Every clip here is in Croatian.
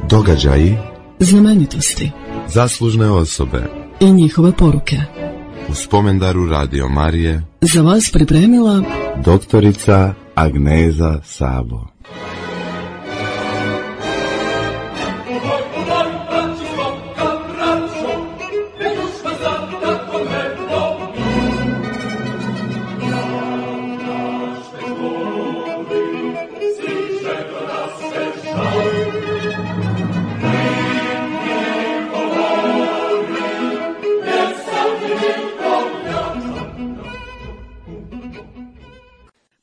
Događaji, znamenitosti, zaslužne osobe i njihove poruke. U spomendaru Radio Marije Za vas pripremila doktorica Agneza Sabo.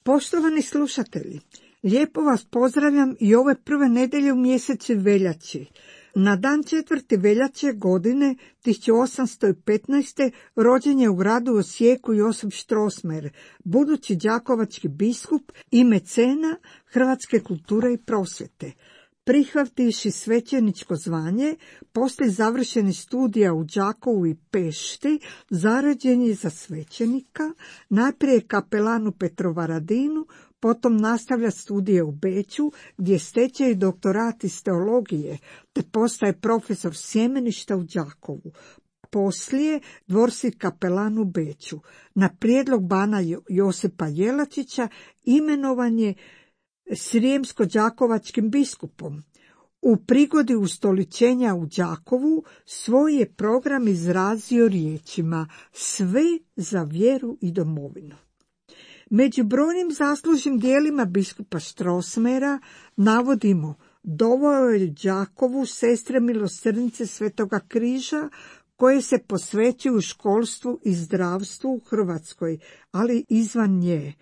Poštovani slušatelji, lijepo vas pozdravljam i ove prve nedjelje u mjesecu veljači. Na dan 4. veljače godine 1815. rođen je u gradu Osijeku Josip Strossmayer, budući đakovački biskup i mecena hrvatske kulture i prosvjete. Prihvativši svećeničko zvanje, poslije završenih studija u Đakovu i Pešti, zaređen je za svećenika, najprije kapelan u Petrovaradinu, potom nastavlja studije u Beču, gdje steče i doktorat iz teologije, te postaje profesor sjemeništa u Đakovu. Poslije dvorski kapelan u Beču. Na prijedlog bana Josipa Jelačića imenovan je srijemsko-đakovačkim biskupom. U prigodi ustoličenja u Đakovu svoj je program izrazio riječima: sve za vjeru i domovinu. Među brojnim zaslužnim dijelima biskupa Strossmayera navodimo: doveo je Đakovu sestre milosrdnice Svetoga križa, koje se posvećuju školstvu i zdravstvu u Hrvatskoj, ali izvan nje.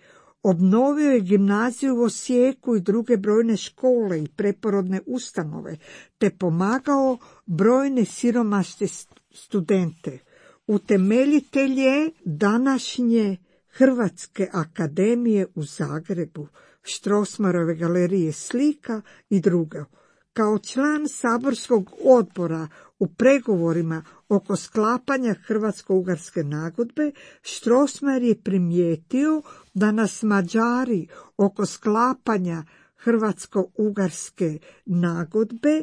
Obnovio je gimnaziju u Osijeku i druge brojne škole i preporodne ustanove, te pomagao brojne siromašne studente. Utemeljitelj je današnje Hrvatske akademije u Zagrebu, Strossmayerove galerije slika i drugo. Kao član saborskog odbora u pregovorima oko sklapanja Hrvatsko-ugarske nagodbe, Strossmayer je primijetio da nas Mađari oko sklapanja Hrvatsko-ugarske nagodbe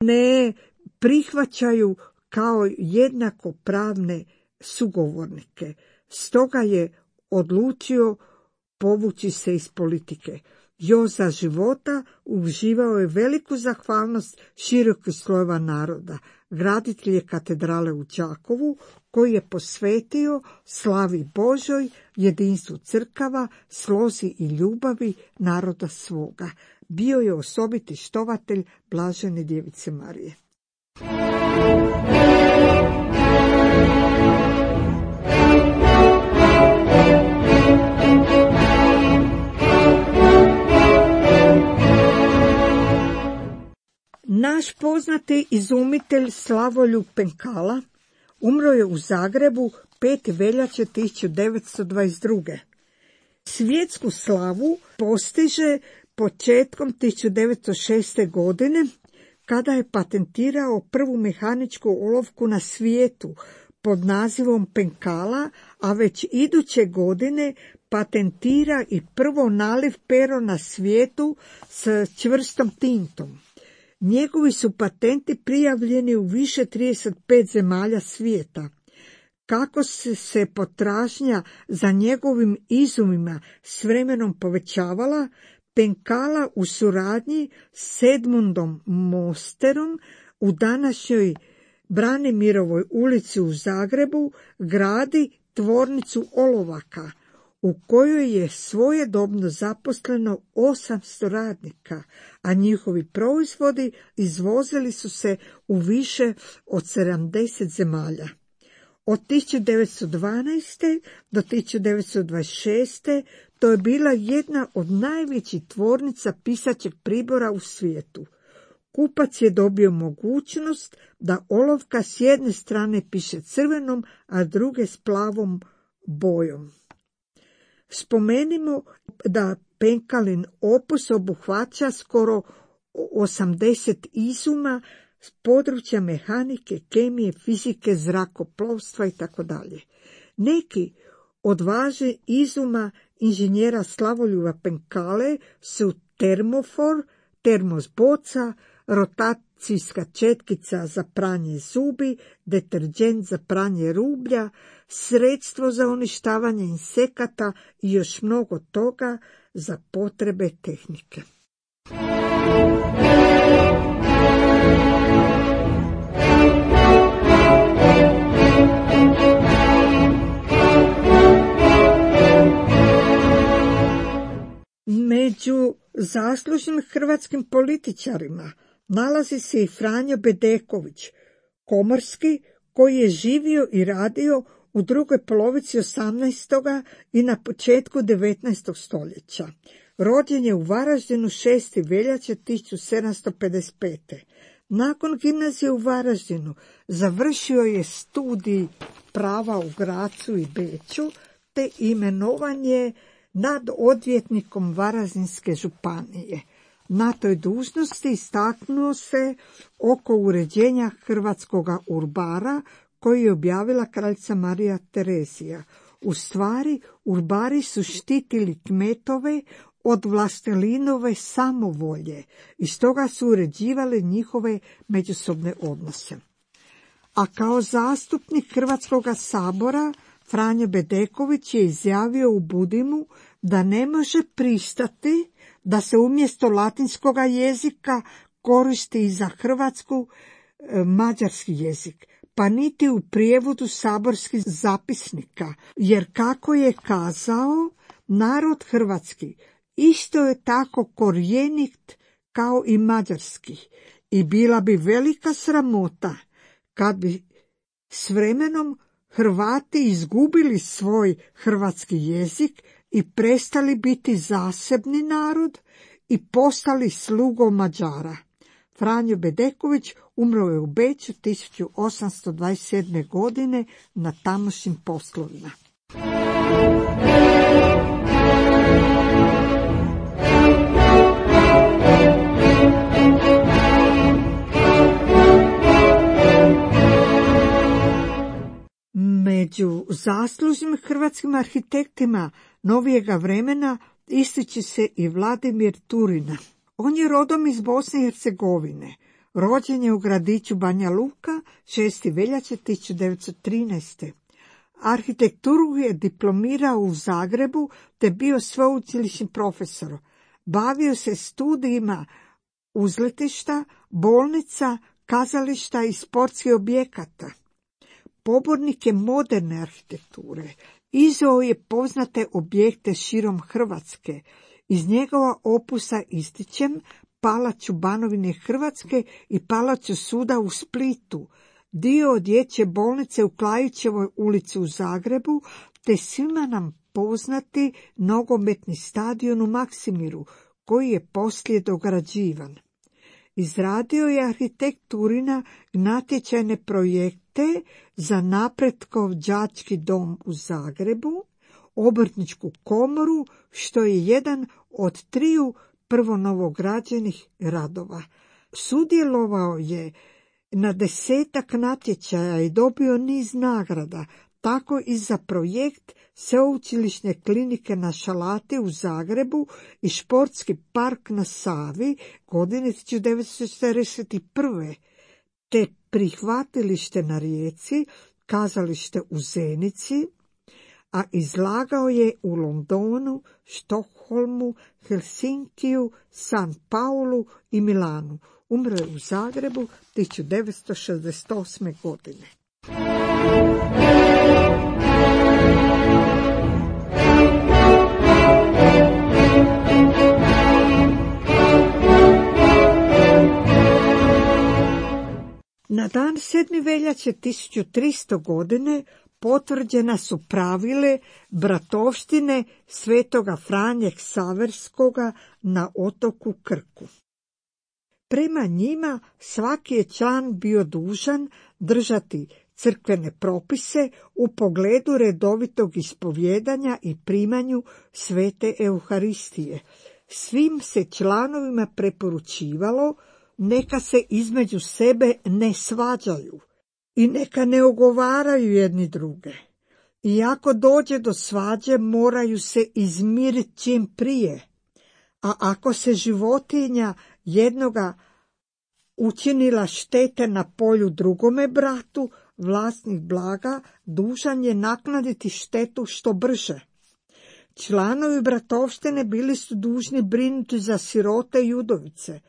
ne prihvaćaju kao jednakopravne sugovornike. Stoga je odlučio povući se iz politike. Još za života uživao je veliku zahvalnost širokih slojeva naroda. Graditelj je katedrale u Đakovu, koji je posvetio slavi Božoj, jedinstvu crkava, slozi i ljubavi naroda svoga. Bio je osobiti štovatelj Blažene Djevice Marije. Naš poznati izumitelj Slavoljub Penkala umro je u Zagrebu 5. veljače 1922. Svjetsku slavu postiže početkom 1906. godine, kada je patentirao prvu mehaničku olovku na svijetu pod nazivom Penkala, a već iduće godine patentira i prvo naliv pero na svijetu s čvrstom tintom. Njegovi su patenti prijavljeni u više 35 zemalja svijeta. Kako se potražnja za njegovim izumima s vremenom povećavala, Penkala u suradnji s Edmundom Mosterom u današnjoj Branimirovoj ulici u Zagrebu gradi tvornicu olovaka, u kojoj je svojedobno zaposleno 800 radnika, a njihovi proizvodi izvozili su se u više od 70 zemalja. Od 1912. do 1926. to je bila jedna od najvećih tvornica pisaćeg pribora u svijetu. Kupac je dobio mogućnost da olovka s jedne strane piše crvenom, a druge s plavom bojom. Spomenimo da Penkalin opus obuhvaća skoro 80 izuma s područja mehanike, kemije, fizike, zrakoplovstva itd. Neki od važnih izuma inženjera Slavoljuba Penkale su termofor, termos boca, rotacijska četkica za pranje zubi, deterđent za pranje rublja, sredstvo za uništavanje insekata i još mnogo toga za potrebe tehnike. Među zaslužnim hrvatskim političarima nalazi se i Franjo Bedeković, komorski, koji je živio i radio u drugoj polovici 18. i na početku 19. stoljeća. Rođen je u Varaždinu 6. veljače 1755. Nakon gimnazije u Varaždinu završio je studij prava u Grazu i Beču, te imenovan je nad odvjetnikom Varaždinske županije. Na toj dužnosti istaknuo se oko uređenja hrvatskoga urbara koji je objavila kraljica Marija Terezija. U stvari, urbari su štitili kmetove od vlastelinove samovolje i stoga su uređivali njihove međusobne odnose. A kao zastupnik Hrvatskoga sabora Franjo Bedeković je izjavio u Budimu da ne može pristati da se umjesto latinskoga jezika koristi i za Hrvatsku mađarski jezik, pa niti u prijevodu saborskih zapisnika, jer kako je kazao, narod hrvatski isto je tako korijenit kao i mađarski i bila bi velika sramota kad bi s vremenom Hrvati izgubili svoj hrvatski jezik i prestali biti zasebni narod i postali slugom Mađara. Franjo Bedeković umro je u Beču 1827. godine na tamošnjim poslovima. Među zaslužnim hrvatskim arhitektima novijega vremena ističe se i Vladimir Turina. On je rodom iz Bosne i Hercegovine. Rođen je u gradiću Banja Luka 6. veljače 1913. Arhitekturu je diplomirao u Zagrebu te bio sveučilišni profesor. Bavio se studijima uzletišta, bolnica, kazališta i sportskih objekata. Pobornik je moderne arhitekture. Izveo je poznate objekte širom Hrvatske. Iz njegova opusa ističem palaču Banovine Hrvatske i palaču suda u Splitu, dio dječje bolnice u Klajićevoj ulici u Zagrebu, te svima nam poznati nogometni stadion u Maksimiru, koji je poslije dograđivan. Izradio je arhitekt Turina natječajne projekte za Napretkov đački dom u Zagrebu, obrtničku komoru, što je jedan od 3 prvonovograđenih radova. Sudjelovao je na 10 natječaja i dobio niz nagrada, tako i za projekt sveučilišne klinike na Šalati u Zagrebu i športski park na Savi godine 1941. te prihvatilište na Rijeci, kazalište u Zenici, a izlagao je u Londonu, Štokholmu, Helsinkiju, San Paulu i Milanu. Umro je u Zagrebu 1968. godine. Na dan 7. veljače 1300. godine potvrđena su pravile bratovštine svetoga Franje Ksaverskoga na otoku Krku. Prema njima svaki je član bio dužan držati crkvene propise u pogledu redovitog ispovjedanja i primanju svete Euharistije. Svim se članovima preporučivalo neka se između sebe ne svađaju i neka ne ogovaraju jedni druge. I ako dođe do svađe, moraju se izmiriti čim prije. A ako se životinja jednoga učinila štete na polju drugome bratu, vlasnik blaga dužan je naknaditi štetu što brže. Članovi bratovštine bili su dužni brinuti za sirote i udovice,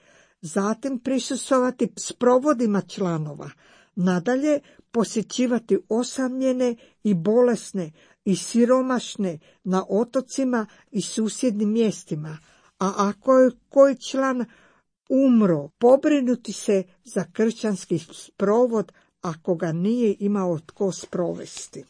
zatim prisustvovati sprovodima članova, nadalje posjećivati osamljene i bolesne i siromašne na otocima i susjednim mjestima, a ako je koji član umro, pobrinuti se za kršćanski sprovod ako ga nije imao tko sprovesti.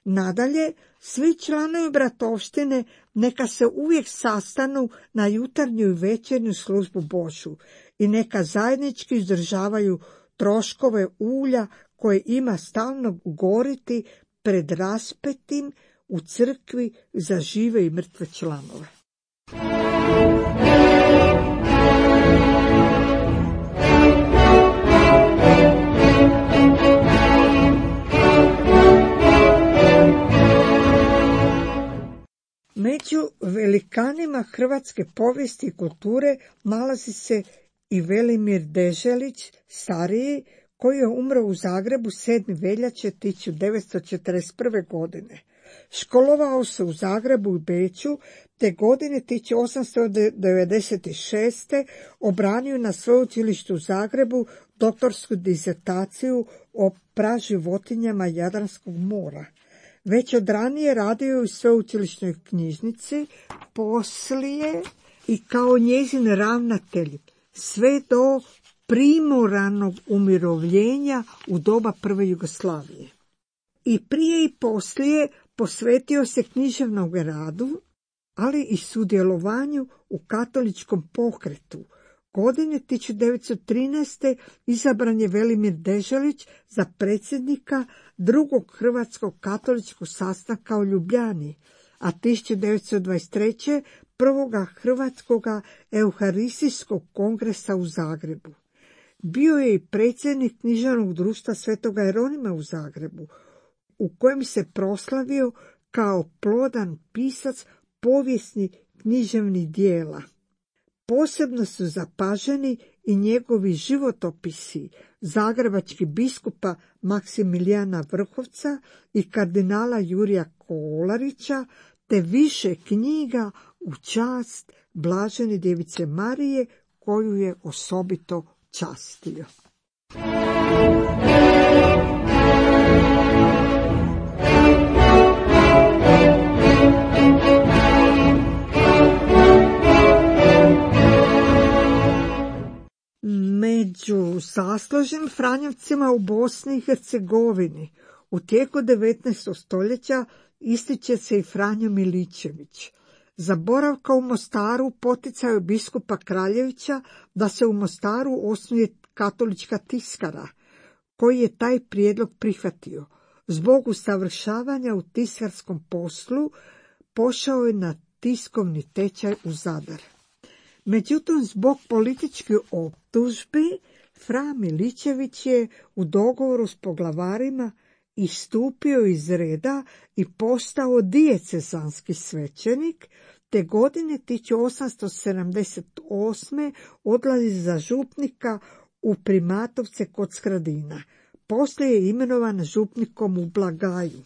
Nadalje, svi članovi bratovštine neka se uvijek sastanu na jutarnju i večernju službu Božju i neka zajednički izdržavaju troškove ulja koje ima stalno goriti pred raspetim u crkvi za žive i mrtve članove. Među velikanima hrvatske povijesti i kulture nalazi se i Velimir Deželić, stariji, koji je umro u Zagrebu 7. veljače 1941. godine. Školovao se u Zagrebu i Beču, te godine 1896. obranio na sveučilištu u Zagrebu doktorsku disertaciju o praživotinjama Jadranskog mora. Već od ranije radio u sveučilišnoj knjižnici, poslije i kao njezin ravnatelj, sve do primoranog umirovljenja u doba prve Jugoslavije. I prije i poslije posvetio se književnom radu, ali i sudjelovanju u katoličkom pokretu. Godine 1913. izabran je Velimir Deželić za predsjednika drugog hrvatskog katoličkog sastanka u Ljubljani, a 1923. prvoga hrvatskog euharistijskog kongresa u Zagrebu. Bio je i predsjednik književnog društva Svetoga Jeronima u Zagrebu, u kojem se proslavio kao plodan pisac povijesnih književnih dijela. Posebno su zapaženi i njegovi životopisi zagrebačkih biskupa Maksimilijana Vrhovca i kardinala Jurija Kolarića, te više knjiga u čast Blažene Djevice Marije, koju je osobito častio. Među zaslužnim franjevcima u Bosni i Hercegovini u tijeku 19. stoljeća ističe se i Franjo Miličević. Za boravka u Mostaru poticao je biskupa Kraljevića da se u Mostaru osnuje katolička tiskara, koji je taj prijedlog prihvatio. Zbog usavršavanja u tiskarskom poslu pošao je na tiskovni tečaj u Zadar. Međutim, zbog političkih optužbi, Fra Miličević je u dogovoru s poglavarima istupio iz reda i postao dijecezanski svećenik, te godine 1878. odlazi za župnika u Primatovce kod Skradina. Poslije je imenovan župnikom u Blagaju.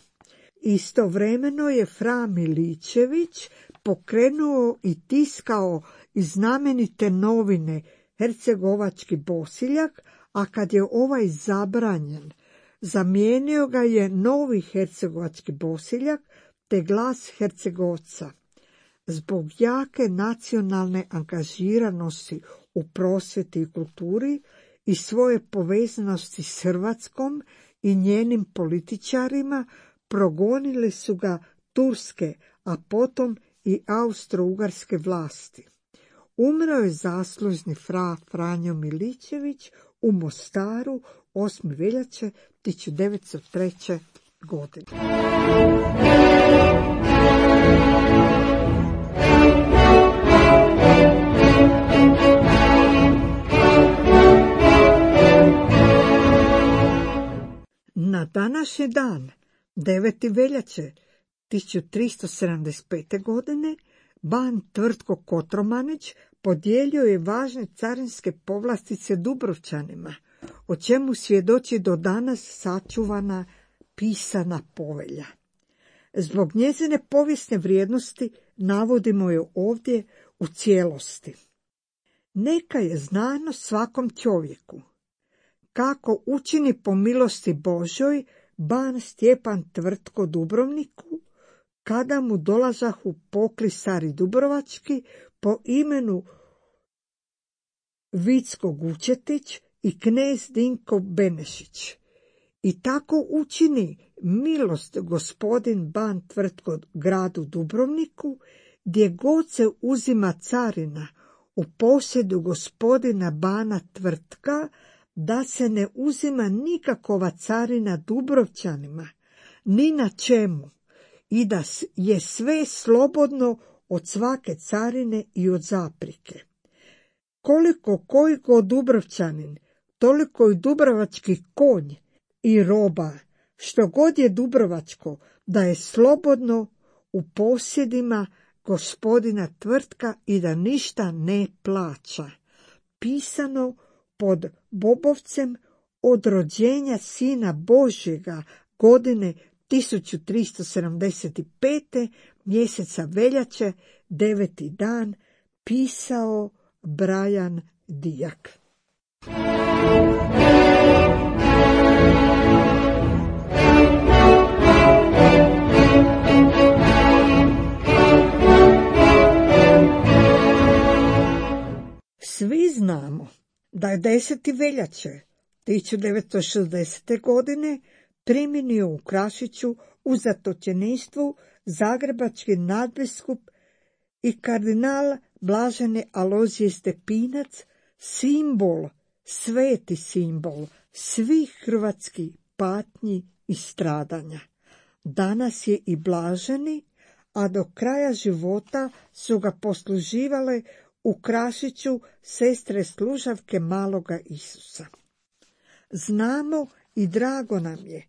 Istovremeno je Fra Miličević pokrenuo i tiskao i znamenite novine Hercegovački Bosiljak, a kad je ovaj zabranjen, zamijenio ga je novi Hercegovački Bosiljak te Glas Hercegovca. Zbog jake nacionalne angažiranosti u prosvjeti i kulturi i svoje povezanosti s Hrvatskom i njenim političarima, progonili su ga turske, a potom i austro-ugarske vlasti. Umro je zaslužni fra Franjo Miličević u Mostaru 8. veljače 1903. godine. Na današnji dan, 9. veljače 1375. godine, ban Tvrtko Kotromanić podijelio je važne carinske povlastice Dubrovčanima, o čemu svjedoči do danas sačuvana pisana povelja. Zbog njezine povijesne vrijednosti navodimo je ovdje u cijelosti. Neka je znano svakom čovjeku kako učini po milosti Božoj ban Stjepan Tvrtko Dubrovniku, kada mu dolazahu poklisari dubrovački po imenu Vicko Gučetić i knez Dinko Benešić. I tako učini milost gospodin ban Tvrtko gradu Dubrovniku, gdje god se uzima carina u posjedu gospodina bana Tvrtka, da se ne uzima nikakova carina Dubrovčanima, ni na čemu, i da je sve slobodno od svake carine i od zaprike. Koliko koji god Dubrovčanin, toliko i dubrovački konj i roba, što god je dubrovačko, da je slobodno u posjedima gospodina Tvrtka i da ništa ne plaća. Pisano pod Bobovcem od rođenja Sina Božjega godine 1375. mjeseca veljače, 9. dan, pisao Brajan Dijak. Svi znamo da je 10. veljače 1960. godine primjenio u Krašiću u zatočeništvu zagrebački nadbiskup i kardinal Blaženi Alojzije Stepinac, simbol, sveti simbol svih hrvatskih patnji i stradanja. Danas je i blaženi, a do kraja života su ga posluživale u Krašiću sestre služavke maloga Isusa. Znamo i drago nam je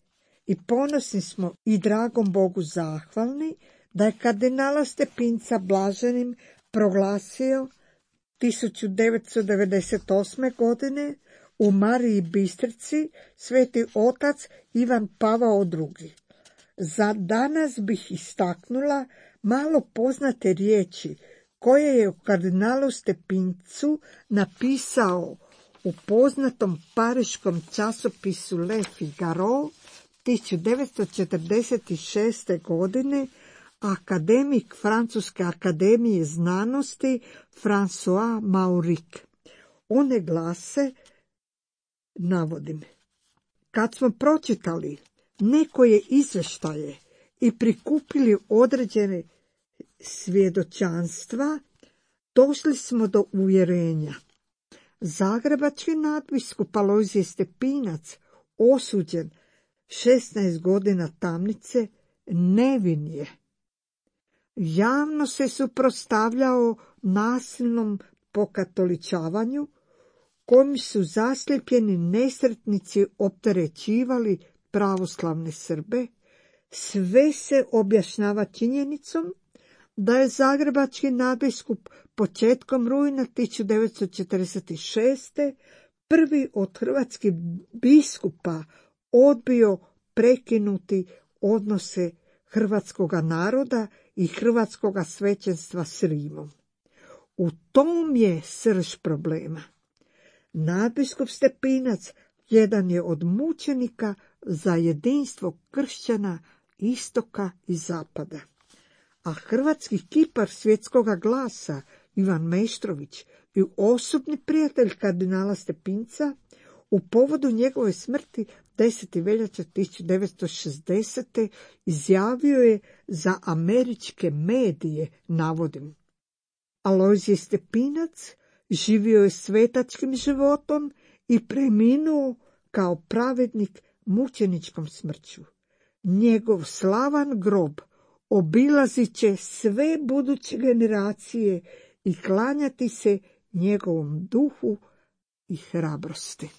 i ponosni smo i dragom Bogu zahvalni da je kardinala Stepinca blaženim proglasio 1998. godine u Mariji Bistrici sveti otac Ivan Pavao II. Za danas bih istaknula malo poznate riječi koje je u kardinalu Stepincu napisao u poznatom pariškom časopisu Le Figaro 1946. godine akademik Francuske akademije znanosti François Mauric. One glase, navodim, kad smo pročitali nekoje izvještaje i prikupili određene svjedočanstva, došli smo do uvjerenja. Zagrebački nadbiskup Alojzije Stepinac, osuđen 16 godina tamnice, nevin je. Javno se suprotstavljao nasilnom pokatoličavanju, kojim su zaslijepljeni nesretnici opterećivali pravoslavne Srbe. Sve se objašnjava činjenicom da je zagrebački nadbiskup početkom rujna 1946. prvi od hrvatskih biskupa odbio prekinuti odnose hrvatskoga naroda i hrvatskoga svećenstva s Rimom. U tom je srž problema. Nadbiskup Stepinac jedan je od mučenika za jedinstvo kršćana istoka i zapada. A hrvatski kipar svjetskoga glasa Ivan Meštrović i osobni prijatelj kardinala Stepinca u povodu njegove smrti 10. veljače 1960. izjavio je za američke medije, navodim, Alojzije Stepinac živio je svetačkim životom i preminuo kao pravednik mučeničkom smrću. Njegov slavan grob obilazit će sve buduće generacije i klanjati se njegovom duhu i hrabrosti.